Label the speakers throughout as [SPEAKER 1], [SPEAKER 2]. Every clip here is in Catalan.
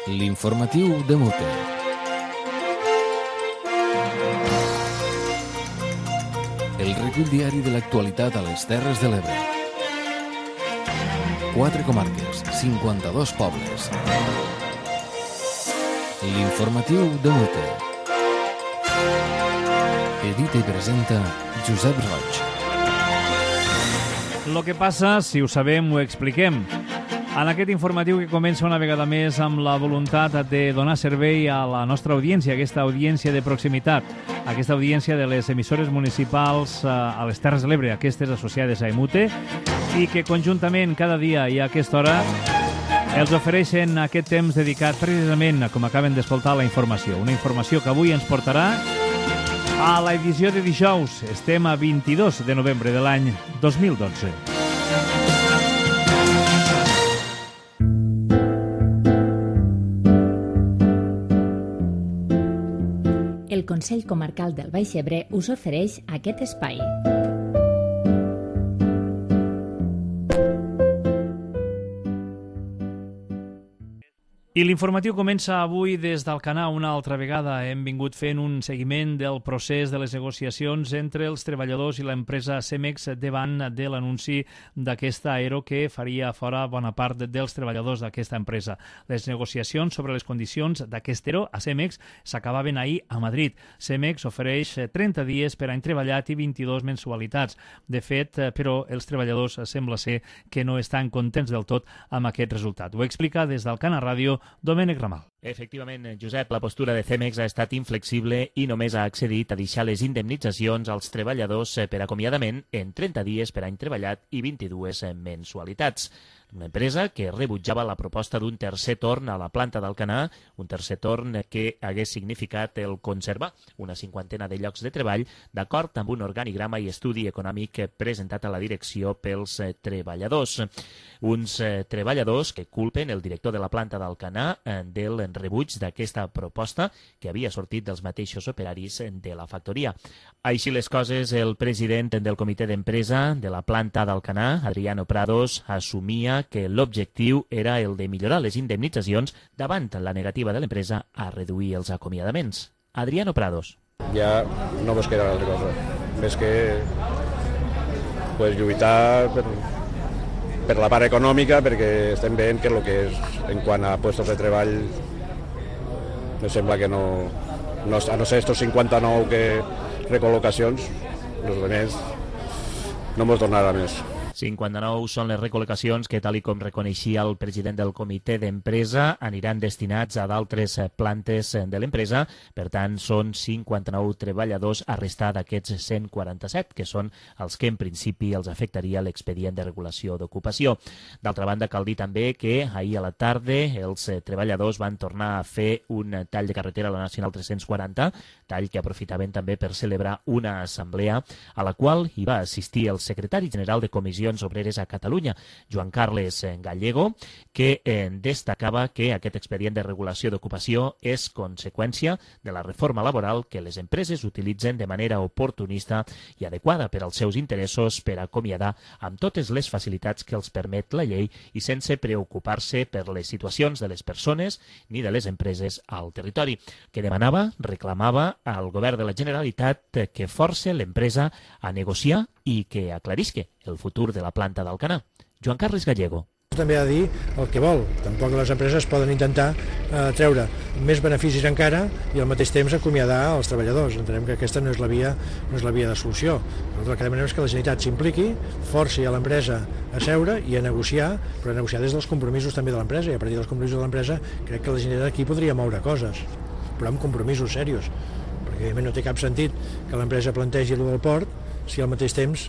[SPEAKER 1] L'informatiu de Mute. El recull diari de l'actualitat a les Terres de l'Ebre. 4 comarques, 52 pobles. L'informatiu de Mute. Edita i presenta Josep Roig.
[SPEAKER 2] Lo que passa, si ho sabem, ho expliquem. En aquest informatiu que comença una vegada més amb la voluntat de donar servei a la nostra audiència, aquesta audiència de proximitat, aquesta audiència de les emissores municipals a les Terres de l'Ebre, aquestes associades a EMUTE, i que conjuntament cada dia i a aquesta hora els ofereixen aquest temps dedicat precisament, com acaben d'escoltar, la informació. Una informació que avui ens portarà a l'edició de dijous. Estem a 22 de novembre de l'any 2012.
[SPEAKER 3] El Consell Comarcal del Baix Ebre us ofereix aquest espai.
[SPEAKER 2] I l'informatiu comença avui des d'Alcanar una altra vegada. Hem vingut fent un seguiment del procés de les negociacions entre els treballadors i l'empresa Cemex davant de l'anunci d'aquesta aero que faria fora bona part dels treballadors d'aquesta empresa. Les negociacions sobre les condicions d'aquest aero a Cemex s'acabaven ahir a Madrid. Cemex ofereix 30 dies per any treballat i 22 mensualitats. De fet, però, els treballadors sembla ser que no estan contents del tot amb aquest resultat. Ho explica des d'Alcanar Ràdio Domènec Ramal.
[SPEAKER 4] Efectivament, Josep, la postura de Cemex ha estat inflexible i només ha accedit a deixar les indemnitzacions als treballadors per acomiadament en 30 dies per any treballat i 22 mensualitats. Una empresa que rebutjava la proposta d'un tercer torn a la planta d'Alcanar, un tercer torn que hagués significat el conservar una cinquantena de llocs de treball d'acord amb un organigrama i estudi econòmic presentat a la direcció pels treballadors. Uns treballadors que culpen el director de la planta d'Alcanar del rebuig d'aquesta proposta que havia sortit dels mateixos operaris de la factoria. Així les coses, el president del comitè d'empresa de la planta d'Alcanar, Adriano Prados, assumia que l'objectiu era el de millorar les indemnitzacions davant la negativa de l'empresa a reduir els acomiadaments. Adriano Prados.
[SPEAKER 5] Ja no mos queda altra cosa, més que lluitar per la part econòmica, perquè estem veient que el que és en quant a puestos de treball me sembla que no a no ser estos 59 recol·locacions, els demés no mos donarà més.
[SPEAKER 4] 59 són les recol·locacions que, tal i com reconeixia el president del comitè d'empresa, aniran destinats a d'altres plantes de l'empresa. Per tant, són 59 treballadors a restar d'aquests 147, que són els que en principi els afectaria l'expedient de regulació d'ocupació. D'altra banda, cal dir també que ahir a la tarda els treballadors van tornar a fer un tall de carretera a la Nacional 340, tall que aprofitaven també per celebrar una assemblea a la qual hi va assistir el secretari general de Comissió Obreres a Catalunya, Joan Carles Gallego, que destacava que aquest expedient de regulació d'ocupació és conseqüència de la reforma laboral que les empreses utilitzen de manera oportunista i adequada per als seus interessos per acomiadar amb totes les facilitats que els permet la llei i sense preocupar-se per les situacions de les persones ni de les empreses al territori, que demanava, reclamava al govern de la Generalitat que force l'empresa a negociar i que aclarisque el futur de la planta d'Alcanar. Joan Carles Gallego.
[SPEAKER 6] També ha de dir el que vol. Tampoc les empreses poden intentar treure més beneficis encara i al mateix temps acomiadar els treballadors. Entenem que aquesta no és la via de solució. Nosaltres el que demanem és que la Generalitat s'impliqui, forci a l'empresa a seure i a negociar, però a negociar des dels compromisos també de l'empresa, i a partir dels compromisos de l'empresa crec que la Generalitat aquí podria moure coses, però amb compromisos serios, perquè evidentment no té cap sentit que l'empresa plantegi el del port si al mateix temps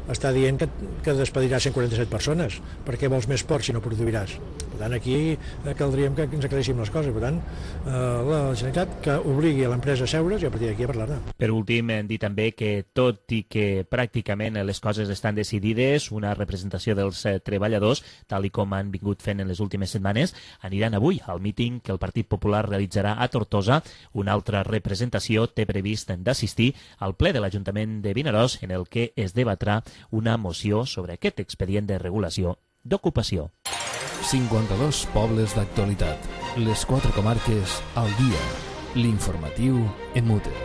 [SPEAKER 6] està dient que despedirà 147 persones. Per què vols més port si no produiràs? Per tant, aquí caldríem que ens aclareixin les coses. Per tant, la Generalitat que obligui a l'empresa a seure's i a partir d'aquí a parlar-ne.
[SPEAKER 4] Per últim, dir també que tot i que pràcticament les coses estan decidides, una representació dels treballadors, tal i com han vingut fent en les últimes setmanes, aniran avui al míting que el Partit Popular realitzarà a Tortosa. Una altra representació té previst d'assistir al ple de l'Ajuntament de Vinaròs, en el que es debatrà una moció sobre aquest expedient de regulació d'ocupació.
[SPEAKER 1] 52 pobles d'actualitat. Les 4 comarques al dia. L'informatiu en Mutter.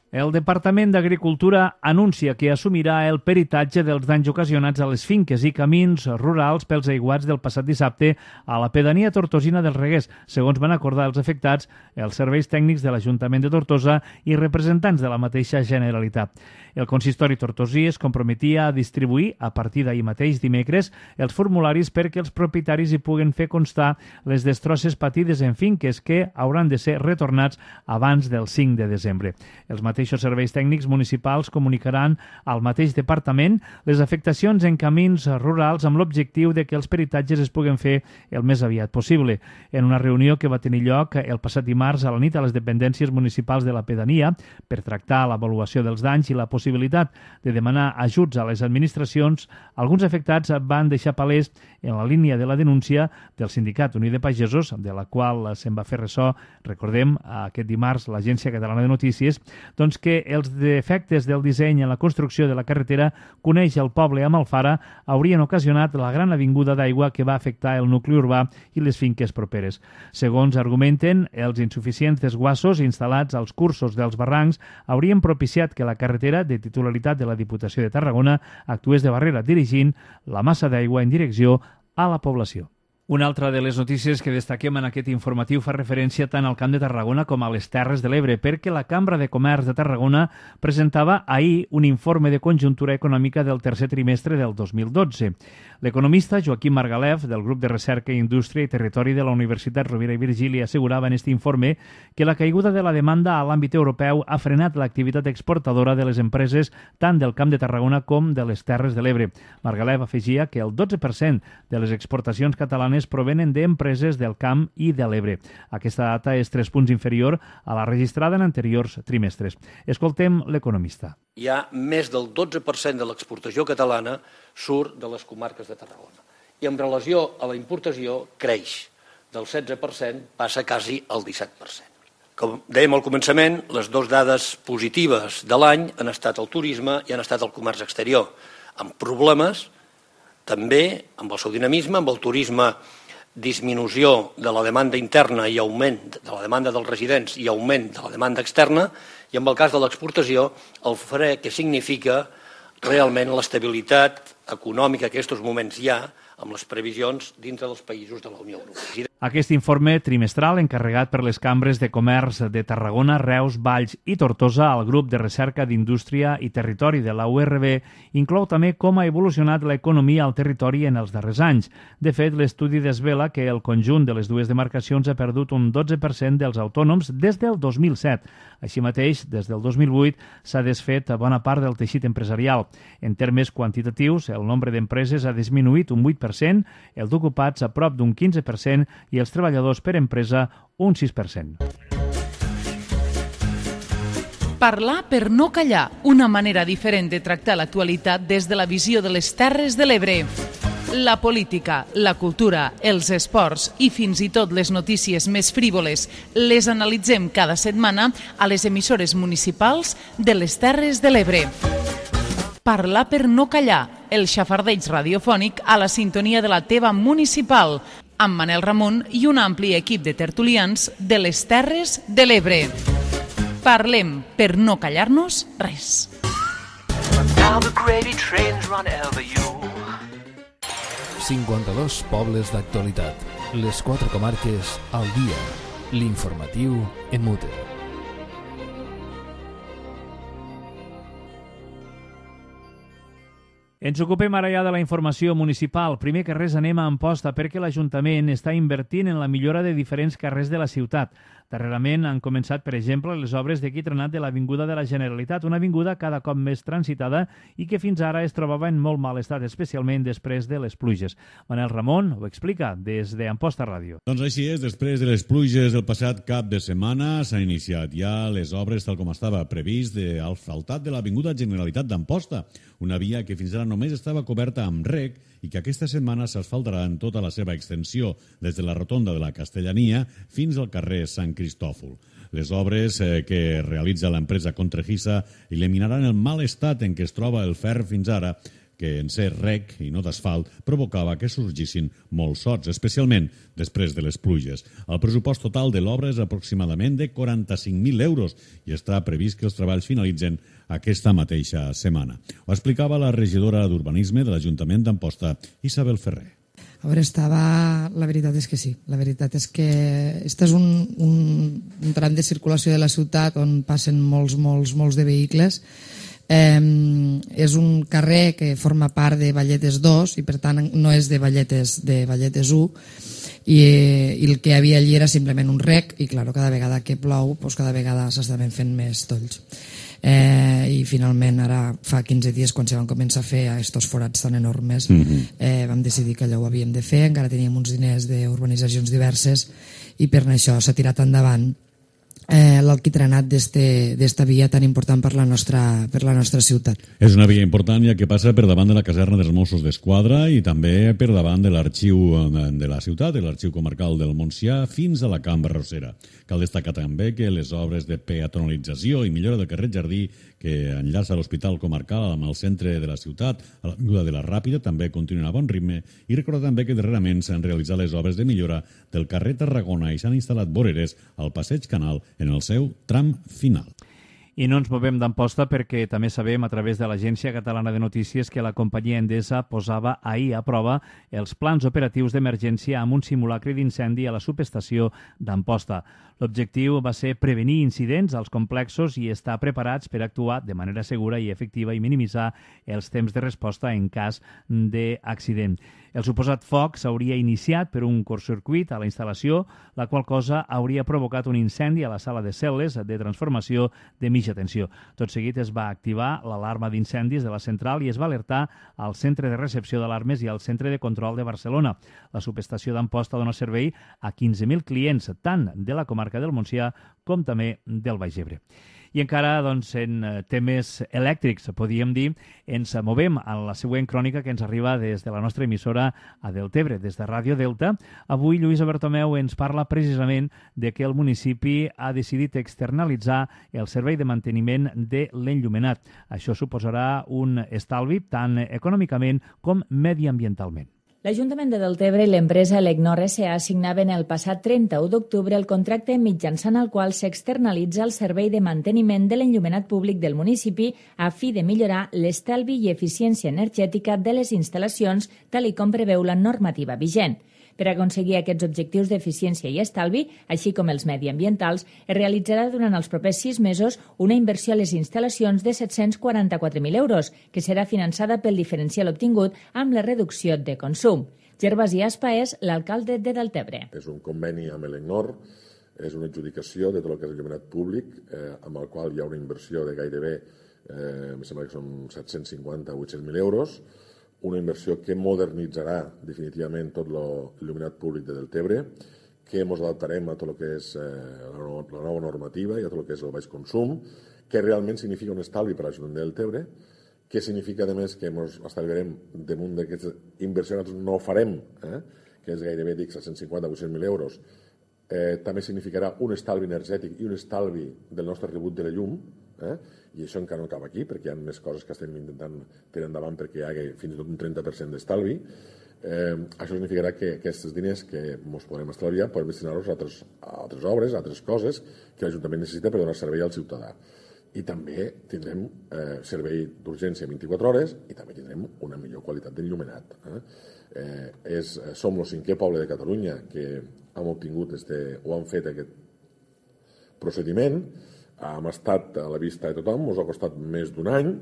[SPEAKER 2] El Departament d'Agricultura anuncia que assumirà el peritatge dels danys ocasionats a les finques i camins rurals pels aiguats del passat dissabte a la pedania tortosina dels Reguers, segons van acordar els afectats, els serveis tècnics de l'Ajuntament de Tortosa i representants de la mateixa Generalitat. El consistori tortosí es comprometia a distribuir, a partir d'ahir mateix dimecres, els formularis perquè els propietaris hi puguen fer constar les destrosses patides en finques que hauran de ser retornats abans del 5 de desembre. Els mateixos serveis tècnics municipals comunicaran al mateix departament les afectacions en camins rurals amb l'objectiu de que els peritatges es puguen fer el més aviat possible. En una reunió que va tenir lloc el passat dimarts a la nit a les dependències municipals de la pedania per tractar l'avaluació dels danys i la possibilitat de demanar ajuts a les administracions, alguns afectats van deixar palès en la línia de la denúncia del Sindicat Unit de Pagesos, de la qual se'n va fer ressò, recordem, aquest dimarts l'Agència Catalana de Notícies, doncs que els defectes del disseny en la construcció de la carretera que uneix el poble amb Alfara haurien ocasionat la gran avinguda d'aigua que va afectar el nucli urbà i les finques properes. Segons argumenten, els insuficients desguassos instal·lats als cursos dels barrancs haurien propiciat que la carretera de titularitat de la Diputació de Tarragona actués de barrera dirigint la massa d'aigua en direcció a la població. Una altra de les notícies que destaquem en aquest informatiu fa referència tant al Camp de Tarragona com a les Terres de l'Ebre, perquè la Cambra de Comerç de Tarragona presentava ahir un informe de conjuntura econòmica del tercer trimestre del 2012. L'economista Joaquim Margalef, del Grup de Recerca, Indústria i Territori de la Universitat Rovira i Virgili, assegurava en aquest informe que la caiguda de la demanda a l'àmbit europeu ha frenat l'activitat exportadora de les empreses tant del Camp de Tarragona com de les Terres de l'Ebre. Margalef afegia que el 12% de les exportacions catalanes provenen d'empreses del Camp i de l'Ebre. Aquesta data és 3 punts inferior a la registrada en anteriors trimestres. Escoltem l'economista.
[SPEAKER 7] Hi ha més del 12% de l'exportació catalana surt de les comarques de Tarragona. I en relació a la importació creix. Del 16% passa quasi al 17%. Com dèiem al començament, les dues dades positives de l'any han estat el turisme i han estat el comerç exterior, amb problemes també amb el seu dinamisme, amb el turisme, disminució de la demanda interna i augment de la demanda dels residents i augment de la demanda externa, i amb el cas de l'exportació, el fre que significa realment l'estabilitat econòmica que en aquests moments hi ha amb les previsions dintre dels països de la Unió Europea.
[SPEAKER 2] Aquest informe trimestral encarregat per les cambres de comerç de Tarragona, Reus, Valls i Tortosa al grup de recerca d'indústria i territori de la URB inclou també com ha evolucionat l'economia al territori en els darrers anys. De fet, l'estudi desvela que el conjunt de les dues demarcacions ha perdut un 12% dels autònoms des del 2007. Així mateix, des del 2008 s'ha desfet bona part del teixit empresarial. En termes quantitatius, el nombre d'empreses ha disminuït un 8%, el d'ocupats a prop d'un 15% i els treballadors per empresa un 6%.
[SPEAKER 8] Parlar per no callar, una manera diferent de tractar l'actualitat des de la visió de les Terres de l'Ebre. La política, la cultura, els esports i fins i tot les notícies més frívoles les analitzem cada setmana a les emissores municipals de les Terres de l'Ebre. Parlar per no callar, el xafardeig radiofònic a la sintonia de la teva municipal, amb Manel Ramon i un ampli equip de tertulians de les Terres de l'Ebre. Parlem per no callar-nos res.
[SPEAKER 1] 52 pobles d'actualitat. Les 4 comarques al dia. L'informatiu en Mutter.
[SPEAKER 2] Ens ocupem ara ja de la informació municipal. Primer que res anem a Amposta perquè l'Ajuntament està invertint en la millora de diferents carrers de la ciutat. Darrerament han començat, per exemple, les obres d'equitrenat de l'Avinguda de la Generalitat, una avinguda cada cop més transitada i que fins ara es trobava en molt mal estat, especialment després de les pluges. Manel Ramon ho explica des d'Amposta Ràdio.
[SPEAKER 9] Doncs així és, després de les pluges del passat cap de setmana s'han iniciat ja les obres tal com estava previst d'asfaltat de l'Avinguda Generalitat d'Amposta, una via que fins ara només estava coberta amb rec i que aquesta setmana s'asfaltarà en tota la seva extensió des de la rotonda de la Castellania fins al carrer Sant Cristòfol. Les obres que realitza l'empresa Contrejisa eliminaran el mal estat en què es troba el ferro fins ara, que en ser rec i no d'asfalt provocava que sorgissin molts sots, especialment després de les pluges. El pressupost total de l'obra és aproximadament de 45.000 euros i està previst que els treballs finalitzen aquesta mateixa setmana. Ho explicava la regidora d'Urbanisme de l'Ajuntament d'Amposta, Isabel Ferrer.
[SPEAKER 10] A veure, la veritat és que sí. La veritat és que este és un tram de circulació de la ciutat on passen molts de vehicles. És un carrer que forma part de Valletes 2 i per tant no és de Valletes 1 i el que hi havia allí era simplement un rec i clar, cada vegada que plou cada vegada s'estaven fent més tolls i finalment ara fa 15 dies quan se van començar a fer aquests forats tan enormes vam decidir que allò ho havíem de fer, encara teníem uns diners d'urbanitzacions diverses i per això s'ha tirat endavant l'alquitranat d'esta via tan important per la nostra ciutat.
[SPEAKER 9] És una via important ja que passa per davant de la caserna dels Mossos d'Esquadra i també per davant de l'arxiu de la ciutat, de l'arxiu comarcal del Montsià, fins a la Cambra Rosera. Cal destacar també que les obres de peatonalització i millora del carrer Jardí que enllaça l'Hospital Comarcal amb el centre de la ciutat, a l'avinguda de la Ràpida, també continuen a bon ritme i recordar també que darrerament s'han realitzat les obres de millora del carrer Tarragona i s'han instal·lat voreres al passeig Canal en el seu tram final.
[SPEAKER 2] I no ens movem d'Amposta perquè també sabem a través de l'Agència Catalana de Notícies que la companyia Endesa posava ahir a prova els plans operatius d'emergència amb un simulacre d'incendi a la subestació d'Amposta. L'objectiu va ser prevenir incidents als complexos i estar preparats per actuar de manera segura i efectiva i minimitzar els temps de resposta en cas d'accident. El suposat foc s'hauria iniciat per un curtcircuit a la instal·lació, la qual cosa hauria provocat un incendi a la sala de cel·les de transformació de mitja tensió. Tot seguit es va activar l'alarma d'incendis de la central i es va alertar al centre de recepció d'alarmes i al centre de control de Barcelona. La subestació d'Amposta dona servei a 15.000 clients, tant de la comarca del Montsià com també del Baix Ebre. I encara en temes elèctrics, podríem dir, ens movem a la següent crònica que ens arriba des de la nostra emissora a Deltebre, des de Ràdio Delta. Avui Lluïsa Bertomeu ens parla precisament de que el municipi ha decidit externalitzar el servei de manteniment de l'enllumenat. Això suposarà un estalvi tant econòmicament com mediambientalment.
[SPEAKER 3] L'Ajuntament de Deltebre i l'empresa Elecnor S.A. signaven el passat 31 d'octubre el contracte mitjançant el qual s'externalitza el servei de manteniment de l'enllumenat públic del municipi a fi de millorar l'estalvi i eficiència energètica de les instal·lacions, tal i com preveu la normativa vigent. Per aconseguir aquests objectius d'eficiència i estalvi, així com els mediambientals, es realitzarà durant els propers 6 mesos una inversió a les instal·lacions de 744.000 euros, que serà finançada pel diferencial obtingut amb la reducció de consum. Gervasi Aspa és l'alcalde de Deltebre.
[SPEAKER 11] És un conveni amb Elecnor, és una adjudicació de tot el que és il·luminat públic, amb el qual hi ha una inversió de gairebé, em sembla que són 750 o 800.000 euros, una inversió que modernitzarà definitivament tot l'il·luminat públic de Deltebre, que ens adaptarem a tot el que és la nova normativa i a tot el que és el baix consum, que realment significa un estalvi per a l'Ajuntament de Deltebre, que significa, a més, que ens estalviarem damunt d'aquesta inversió que nosaltres no farem, que és gairebé, dic, 750 o 800.000 euros. També significarà un estalvi energètic i un estalvi del nostre rebut de la llum, i això encara no acaba aquí, perquè hi ha més coses que estem intentant tirar endavant perquè hi hagi fins i tot un 30% d'estalvi. Això significarà que aquests diners que ens podrem estalviar podem destinar-los a altres obres, a altres coses que l'Ajuntament necessita per donar servei al ciutadà. I també tindrem servei d'urgència 24 hores i també tindrem una millor qualitat d'enllumenat. Som el 5è poble de Catalunya que hem obtingut o han fet aquest procediment. Hem estat a la vista de tothom, ens ha costat més d'un any,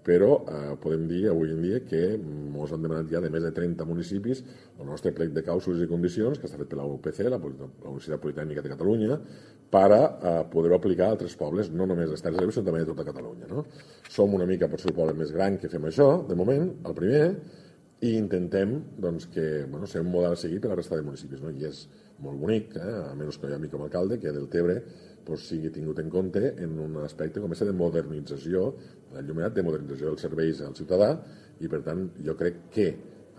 [SPEAKER 11] però podem dir avui en dia que ens han demanat ja de més de 30 municipis el nostre plec de clàusules i condicions, que està fet per la UPC, la Universitat Politècnica de Catalunya, per poder-ho aplicar a altres pobles, no només de Terres de l'Ebre, sinó també de tota Catalunya. Som una mica, potser, el poble més gran que fem això, de moment, el primer, i intentem que ser un model a seguir per la resta de municipis. I és molt bonic, a menys que jo a mi com a alcalde, que Deltebre sigui tingut en compte en un aspecte com aquest de modernització, l'enllumenat de modernització dels serveis al ciutadà, i per tant jo crec que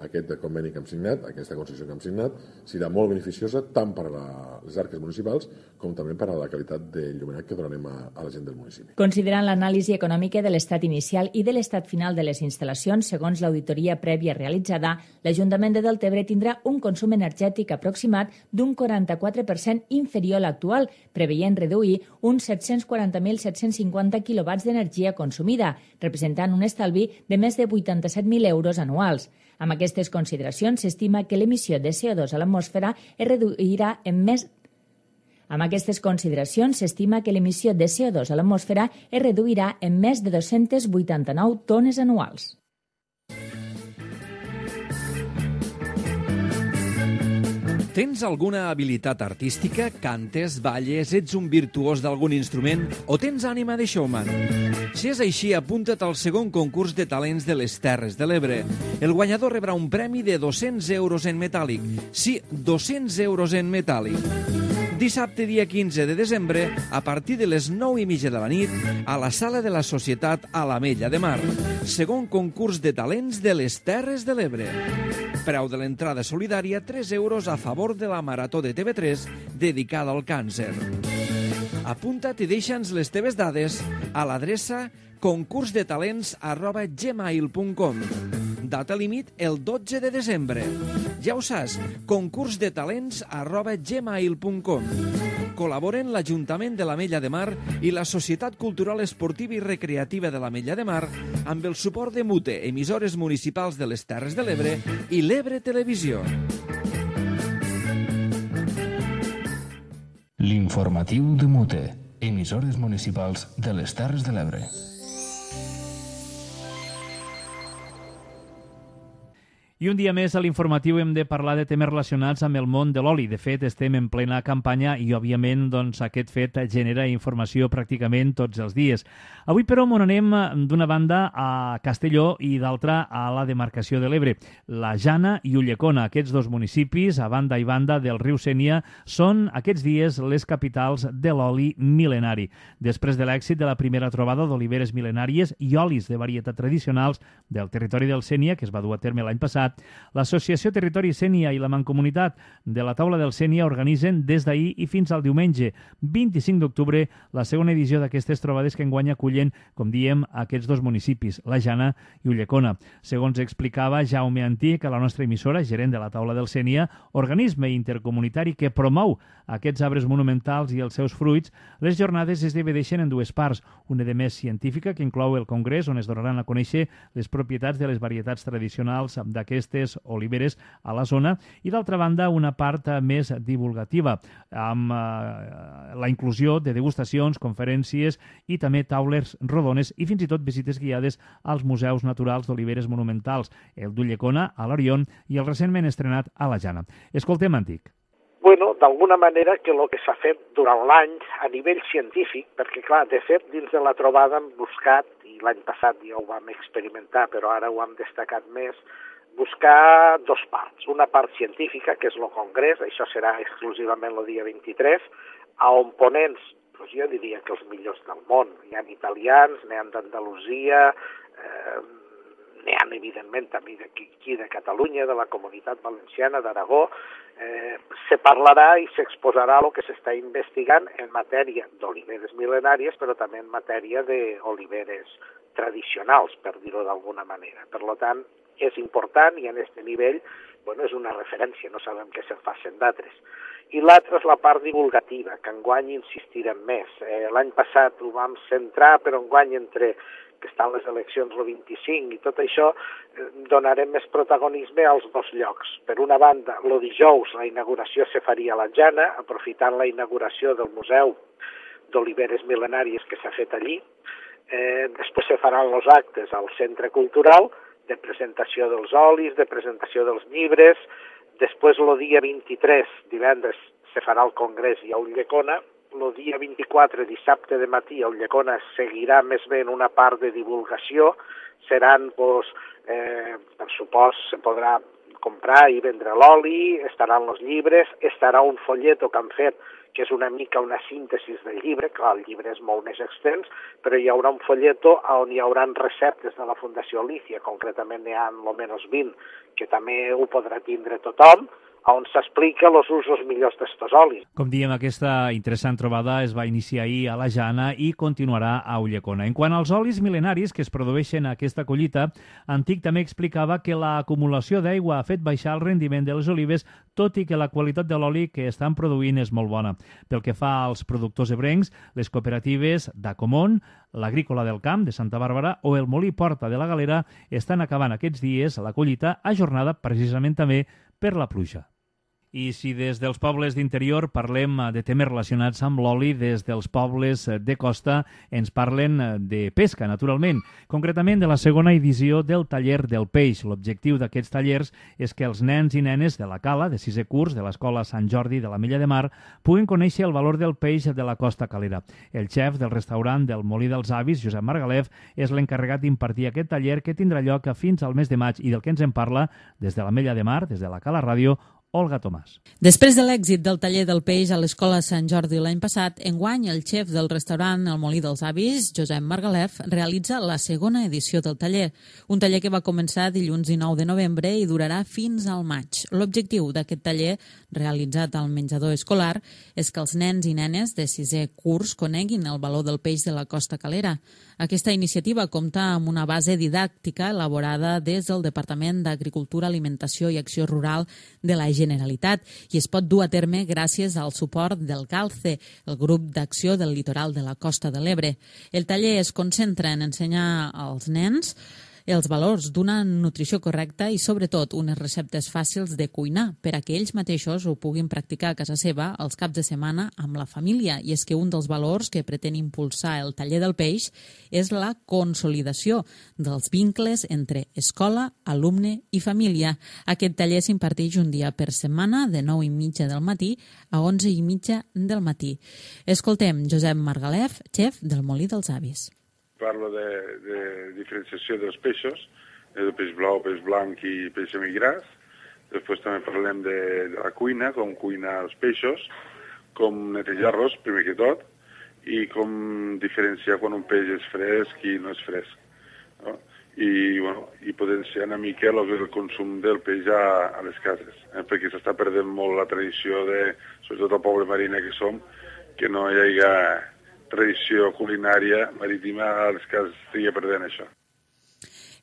[SPEAKER 11] aquest conveni que hem signat, aquesta concessió que hem signat, serà molt beneficiosa tant per a les arques municipals com també per a la qualitat de il·luminat que donarem a la gent del municipi.
[SPEAKER 3] Considerant l'anàlisi econòmica de l'estat inicial i de l'estat final de les instal·lacions, segons l'auditoria prèvia realitzada, l'Ajuntament de Deltebre tindrà un consum energètic aproximat d'un 44% inferior a l'actual, preveient reduir uns 740.750 quilowatts d'energia consumida, representant un estalvi de més de 87.000 euros anuals. Amb aquestes consideracions, s'estima que l'emissió de CO2 a l'atmosfera es reduirà en més de 289 tones anuals.
[SPEAKER 12] Tens alguna habilitat artística? Cantes, balles, ets un virtuós d'algun instrument o tens ànima de showman? Si és així, apunta't al segon concurs de talents de les Terres de l'Ebre. El guanyador rebrà un premi de 200 euros en metàl·lic. Sí, 200 euros en metàl·lic. Dissabte, dia 15 de desembre, a partir de les 9:30 de la nit, a la Sala de la Societat a l'Ametlla de Mar. Segon concurs de talents de les Terres de l'Ebre. Preu de l'entrada solidària, 3 euros a favor de la Marató de TV3 dedicada al càncer. Apunta't i deixa'ns les teves dades a l'adreça concursdetalents@gmail.com. Data límit el 12 de desembre. Ja ho saps, concursdetalents@gmail.com. Col·laboren l'Ajuntament de l'Ametlla de Mar i la Societat Cultural Esportiva i Recreativa de l'Ametlla de Mar amb el suport de MUTE, emissores municipals de les Terres de l'Ebre i l'Ebre Televisió.
[SPEAKER 1] L'informatiu de MUTE, emissores municipals de les Terres de l'Ebre.
[SPEAKER 2] I un dia més a l'informatiu hem de parlar de temes relacionats amb el món de l'oli. De fet, estem en plena campanya i, òbviament, aquest fet genera informació pràcticament tots els dies. Avui, però, m'on anem d'una banda a Castelló i d'altra a la demarcació de l'Ebre. La Jana i Ulldecona, aquests dos municipis, a banda i banda del riu Sénia, són aquests dies les capitals de l'oli mil·lenari. Després de l'èxit de la primera trobada d'oliveres mil·lenàries i olis de varietat tradicionals del territori del Sénia, que es va dur a terme l'any passat, l'Associació Territori Sénia i la Mancomunitat de la Taula del Sénia organitzen des d'ahir i fins al diumenge 25 d'octubre la segona edició d'aquestes trobades que enguany acullen, com diem, aquests dos municipis, la Jana i Ulldecona. Segons explicava Jaume Antic, a la nostra emissora, gerent de la Taula del Sénia, organisme intercomunitari que promou aquests arbres monumentals i els seus fruits, les jornades es divideixen en dues parts, una de més científica, que inclou el congrés, on es donaran a conèixer les propietats de les varietats tradicionals d'aquestes oliveres a la zona, i d'altra banda una part més divulgativa, amb la inclusió de degustacions, conferències i també taules rodones i fins i tot visites guiades als museus naturals d'oliveres monumentals, el d'Ulldecona, a l'Orion i el recentment estrenat a la Jana. Escoltem, Antic.
[SPEAKER 13] Bueno, d'alguna manera que el que s'ha fet durant l'any a nivell científic, perquè clar, de fet, dins de la trobada hem buscat, i l'any passat ja ho vam experimentar, però ara ho hem destacat més, buscar dos parts. Una part científica, que és el congrés, això serà exclusivament el dia 23, on ponents, doncs jo diria que els millors del món. Hi ha italians, n'hi ha d'Andalusia, n'hi ha evidentment també d'aquí de Catalunya, de la Comunitat Valenciana, d'Aragó. Se parlarà i s'exposarà el que s'està investigant en matèria d'oliveres mil·lenàries, però també en matèria d'oliveres tradicionals, per dir-ho d'alguna manera. Per tant, és important i en aquest nivell és una referència, no sabem què se'n facin d'altres. I l'altra és la part divulgativa, que enguany insistirem més. L'any passat ho vam centrar, però enguany entre que estan les eleccions el 25 i tot això, donarem més protagonisme als dos llocs. Per una banda, el dijous la inauguració se faria a la Jana, aprofitant la inauguració del Museu d'Oliveres Mil·lenàries que s'ha fet allí. Després se faran els actes al Centre Cultural, de presentació dels olis, de presentació dels llibres. Després, el dia 23, divendres, se farà el congrés i a Ulldecona. El dia 24, dissabte de matí, a Ulldecona seguirà més bé en una part de divulgació. Seran, per supost, se podrà comprar i vendre l'oli, estaran els llibres, estarà un folleto que han fet que és una mica una síntesi del llibre, clar, el llibre és molt més extens, però hi haurà un folleto on hi haurà receptes de la Fundació Alicia, concretament n'hi ha almenys 20, que també ho podrà tindre tothom, on s'explica els usos millors d'estos olis.
[SPEAKER 2] Com diem, aquesta interessant trobada es va iniciar ahir a la Jana i continuarà a Ulldecona. En quant als olis mil·lenaris que es produeixen a aquesta collita, Antic també explicava que l'acumulació d'aigua ha fet baixar el rendiment de les olives, tot i que la qualitat de l'oli que estan produint és molt bona. Pel que fa als productors ebrencs, les cooperatives d'Acomón, l'Agrícola del Camp de Santa Bàrbara o el Molí Porta de la Galera estan acabant aquests dies la collita ajornada precisament també per la pluja. I si des dels pobles d'interior parlem de temes relacionats amb l'oli, des dels pobles de costa ens parlen de pesca, naturalment. Concretament de la segona edició del Taller del Peix. L'objectiu d'aquests tallers és que els nens i nenes de la Cala, de 6è curs, de l'Escola Sant Jordi de la Mella de Mar, puguin conèixer el valor del peix de la costa calera. El xef del restaurant del Molí dels Avis, Josep Margalef, és l'encarregat d'impartir aquest taller que tindrà lloc fins al mes de maig i del que ens en parla des de la Mella de Mar, des de la Cala Ràdio, Olga Tomàs.
[SPEAKER 14] Després de l'èxit del taller del peix a l'Escola Sant Jordi l'any passat, enguany el xef del restaurant El Molí dels Avis, Josep Margalef, realitza la segona edició del taller. Un taller que va començar dilluns 19 de novembre i durarà fins al maig. L'objectiu d'aquest taller, realitzat al menjador escolar, és que els nens i nenes de 6è curs coneguin el valor del peix de la costa calera. Aquesta iniciativa compta amb una base didàctica elaborada des del Departament d'Agricultura, Alimentació i Acció Rural de la Generalitat i es pot dur a terme gràcies al suport del GALCE, el grup d'acció del litoral de la Costa de l'Ebre. El taller es concentra en ensenyar als nens els valors d'una nutrició correcta i, sobretot, unes receptes fàcils de cuinar per a que ells mateixos ho puguin practicar a casa seva els caps de setmana amb la família. I és que un dels valors que pretén impulsar el taller del peix és la consolidació dels vincles entre escola, alumne i família. Aquest taller s'imparteix un dia per setmana de 9:30 del matí a 11:30 del matí. Escoltem Josep Margalef, xef del Molí dels Avis.
[SPEAKER 15] Parlo de diferenciació dels peixos, de peix blau, peix blanc i peix semigras. Després també parlem de la cuina, com cuinar els peixos, com netejar-los, primer que tot, i com diferenciar quan un peix és fresc i no és fresc. No? I potenciar una mica el consum del peix a les cases, perquè s'està perdent molt la tradició sobretot el poble marina que som, que no hi hagi tradició culinària marítima a les cases estigui perdent això.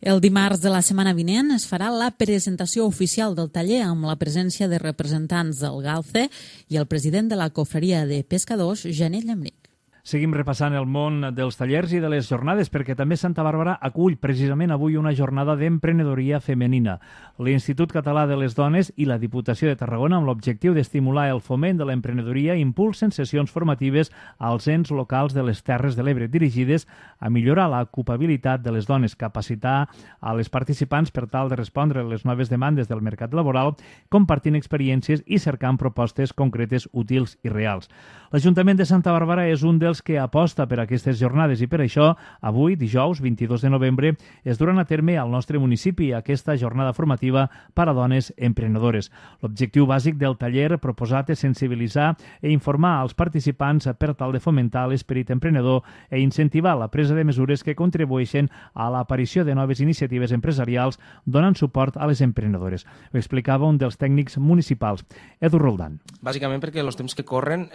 [SPEAKER 14] El dimarts de la setmana vinent es farà la presentació oficial del taller amb la presència de representants del GALCE i el president de la Cofreria de Pescadors, Janet Llambric.
[SPEAKER 2] Seguim repassant el món dels tallers i de les jornades perquè també Santa Bàrbara acull precisament avui una jornada d'emprenedoria femenina. L'Institut Català de les Dones i la Diputació de Tarragona, amb l'objectiu d'estimular el foment de l'emprenedoria, impulsen sessions formatives als ens locals de les Terres de l'Ebre dirigides a millorar l'ocupabilitat de les dones, capacitar a les participants per tal de respondre a les noves demandes del mercat laboral, compartint experiències i cercant propostes concretes, útils i reals. L'Ajuntament de Santa Bàrbara és un dels que aposta per aquestes jornades i per això avui, dijous 22 de novembre, es duran a terme al nostre municipi aquesta jornada formativa per a dones emprenedores. L'objectiu bàsic del taller proposat és sensibilitzar i informar als participants per tal de fomentar l'esperit emprenedor i incentivar la presa de mesures que contribueixen a l'aparició de noves iniciatives empresarials donant suport a les emprenedores. Ho explicava un dels tècnics municipals, Edu Roldán.
[SPEAKER 16] Bàsicament perquè els temps que corren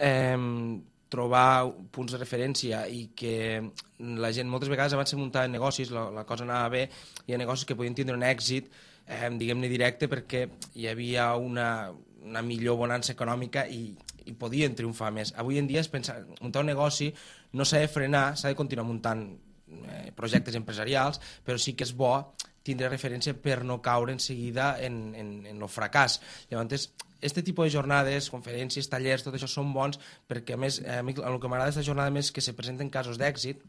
[SPEAKER 16] trobar punts de referència i que la gent moltes vegades abans de muntar negocis la cosa anava bé, hi ha negocis que podien tindre un èxit diguem-ne directe perquè hi havia una millor bonança econòmica i podien triomfar més. Avui en dia muntar un negoci no s'ha de frenar, s'ha de continuar muntant projectes empresarials, però sí que és bo tindre referència per no caure en seguida en el fracàs. Llavors, aquest tipus de jornades, conferències, tallers, tot això són bons perquè, a més, el que m'agrada d'aquesta jornada més és que se presenten casos d'èxit,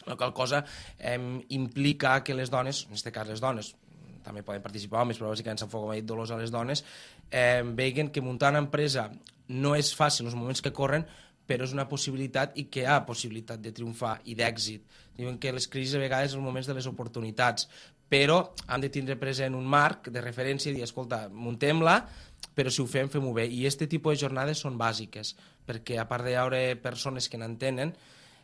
[SPEAKER 16] la qual cosa implica que les dones, en aquest cas les dones, també poden participar homes, però bàsicament s'enfoca, com ha dit Dolors, a les dones, veguen que muntar una empresa no és fàcil en els moments que corren, però és una possibilitat i que hi ha possibilitat de triomfar i d'èxit. Diuen que les crisis a vegades són els moments de les oportunitats, però hem de tindre present un marc de referència i dir, escolta, muntem-la, però si ho fem-ho bé. I aquest tipus de jornades són bàsiques, perquè a part de haure persones que n'entenen,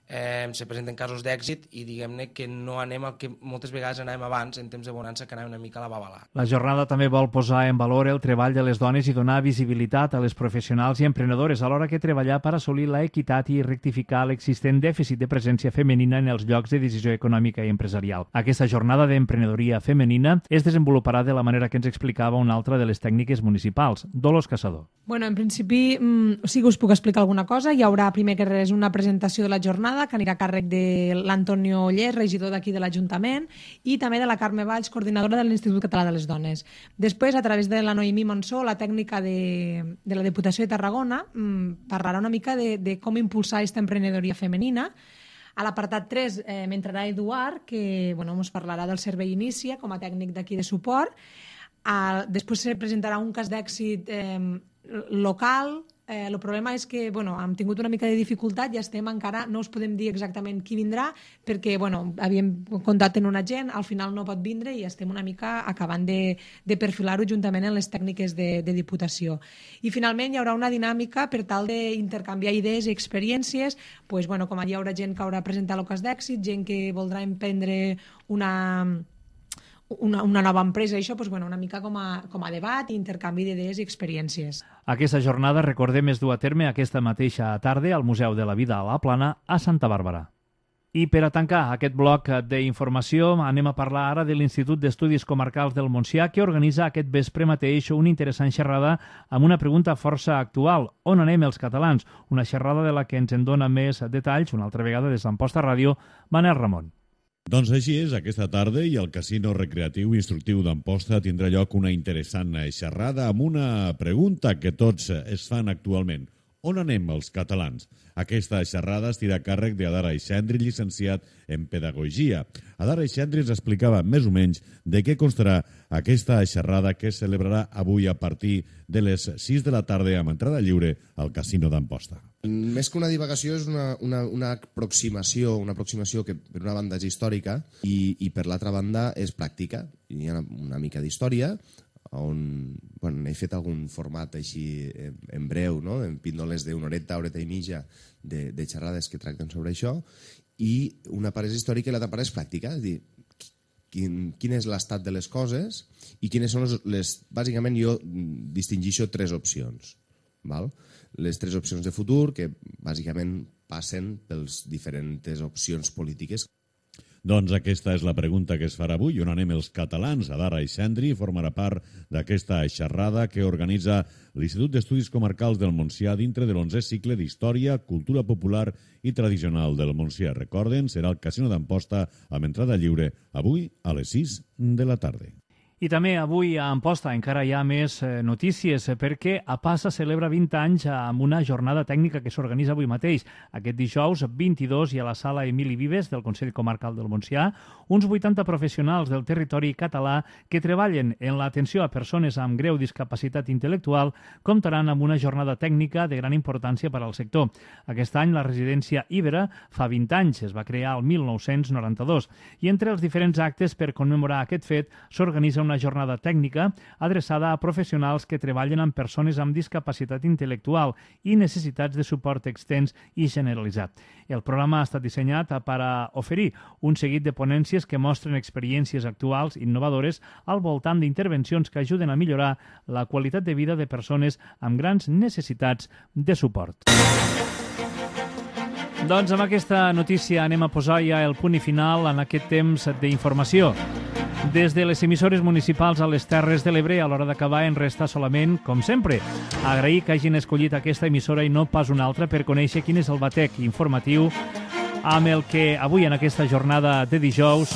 [SPEAKER 16] se presenten casos d'èxit i diguem-ne que no anem al que moltes vegades anàvem abans en temps de bonança, que anàvem una mica a la babalà.
[SPEAKER 2] La jornada també vol posar en valor el treball de les dones i donar visibilitat a les professionals i emprenedores, alhora que treballar per assolir la equitat i rectificar l'existent dèficit de presència femenina en els llocs de decisió econòmica i empresarial. Aquesta jornada d'emprenedoria femenina es desenvoluparà de la manera que ens explicava una altra de les tècniques municipals, Dolors Caçador.
[SPEAKER 17] Bueno, en principi sí que us puc explicar alguna cosa. Hi haurà primer que res una presentació de la jornada que anirà a càrrec de l'Antonio Oller, regidor d'aquí de l'Ajuntament, i també de la Carme Valls, coordinadora de l'Institut Català de les Dones. Després, a través de la Noemí Monsó, la tècnica de la Diputació de Tarragona, parlarà una mica de com impulsar aquesta emprenedoria femenina. A l'apartat 3 m'entrarà Eduard, que ens parlarà del servei Inicia com a tècnic d'aquí de suport. Després se presentarà un cas d'èxit local. El problema és que hem tingut una mica de dificultat i encara no us podem dir exactament qui vindrà perquè havíem comptat en un agent, al final no pot vindre i estem una mica acabant de perfilar-ho juntament amb les tècniques de Diputació. I finalment hi haurà una dinàmica per tal d'intercanviar idees i experiències, com hi haurà gent que haurà presentat el cas d'èxit, gent que voldrà emprendre una nova empresa, això una mica com a debat i intercanvi d'idees i experiències.
[SPEAKER 2] Aquesta jornada, recordem, es du a terme aquesta mateixa tarda al Museu de la Vida a la Plana, a Santa Bàrbara. I per a tancar aquest bloc d'informació anem a parlar ara de l'Institut d'Estudis Comarcals del Montsià, que organitza aquest vespre mateix una interessant xerrada amb una pregunta força actual: on anem els catalans? Una xerrada de la que ens en dona més detalls, una altra vegada des d'Amposta Ràdio, Manel Ramon.
[SPEAKER 9] Doncs així és, aquesta tarda i al Casino Recreatiu Instructiu d'Amposta tindrà lloc una interessant xerrada amb una pregunta que tots es fan actualment. On anem els catalans? Aquesta xerrada estirà a càrrec d'Adar Aixendri, llicenciat en Pedagogia. Adar Aixendri ens explicava més o menys de què constarà aquesta xerrada que es celebrarà avui a partir de les 6 de la tarda amb entrada lliure al Casino d'Amposta.
[SPEAKER 18] Més que una divagació és una aproximació que per una banda és històrica i per l'altra banda és pràctica. Hi ha una mica d'història, on he fet algun format així en breu, en píndoles d'una horeta i mitja de xerrades que tracten sobre això, i una part és històrica i l'altra part és pràctica, és dir, quin és l'estat de les coses i quines són bàsicament jo distingeixo 3 opcions. Les 3 opcions de futur que bàsicament passen pels diferents opcions polítiques.
[SPEAKER 9] Doncs aquesta és la pregunta que es farà avui. On anem els catalans? Adar Aixendri formarà part d'aquesta xerrada que organitza l'Institut d'Estudis Comarcals del Montsià dintre de l'11è cicle d'Història, Cultura Popular i Tradicional del Montsià. Recorden, serà al Casino d'Amposta amb entrada lliure avui a les 6 de la tarda.
[SPEAKER 2] I també avui a Amposta encara hi ha més notícies perquè APASA celebra 20 anys amb una jornada tècnica que s'organitza avui mateix. Aquest dijous 22 i a la sala Emili Vives del Consell Comarcal del Montsià, uns 80 professionals del territori català que treballen en l'atenció a persones amb greu discapacitat intel·lectual comptaran amb una jornada tècnica de gran importància per al sector. Aquest any la residència Ibera fa 20 anys, es va crear el 1992, i entre els diferents actes per commemorar aquest fet s'organitza una jornada tècnica adreçada a professionals que treballen amb persones amb discapacitat intel·lectual i necessitats de suport extens i generalitzat. El programa ha estat dissenyat per a oferir un seguit de ponències que mostren experiències actuals innovadores al voltant d'intervencions que ajuden a millorar la qualitat de vida de persones amb grans necessitats de suport. Doncs amb aquesta notícia anem a posar ja el punt i final en aquest temps d'informació. Des de les emissores municipals a les Terres de l'Ebre, a l'hora d'acabar en resta solament, com sempre, agrair que hagin escollit aquesta emissora i no pas una altra per conèixer quin és el batec informatiu amb el que avui en aquesta jornada de dijous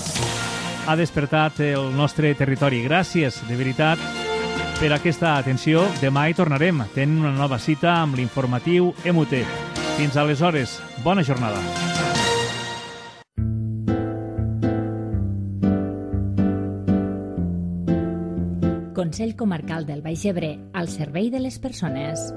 [SPEAKER 2] ha despertat el nostre territori. Gràcies, de veritat, per aquesta atenció. Demà hi tornarem. Tenen una nova cita amb l'informatiu MUT. Fins aleshores, bona jornada.
[SPEAKER 3] Consell Comarcal del Baix Ebre, al servei de les persones.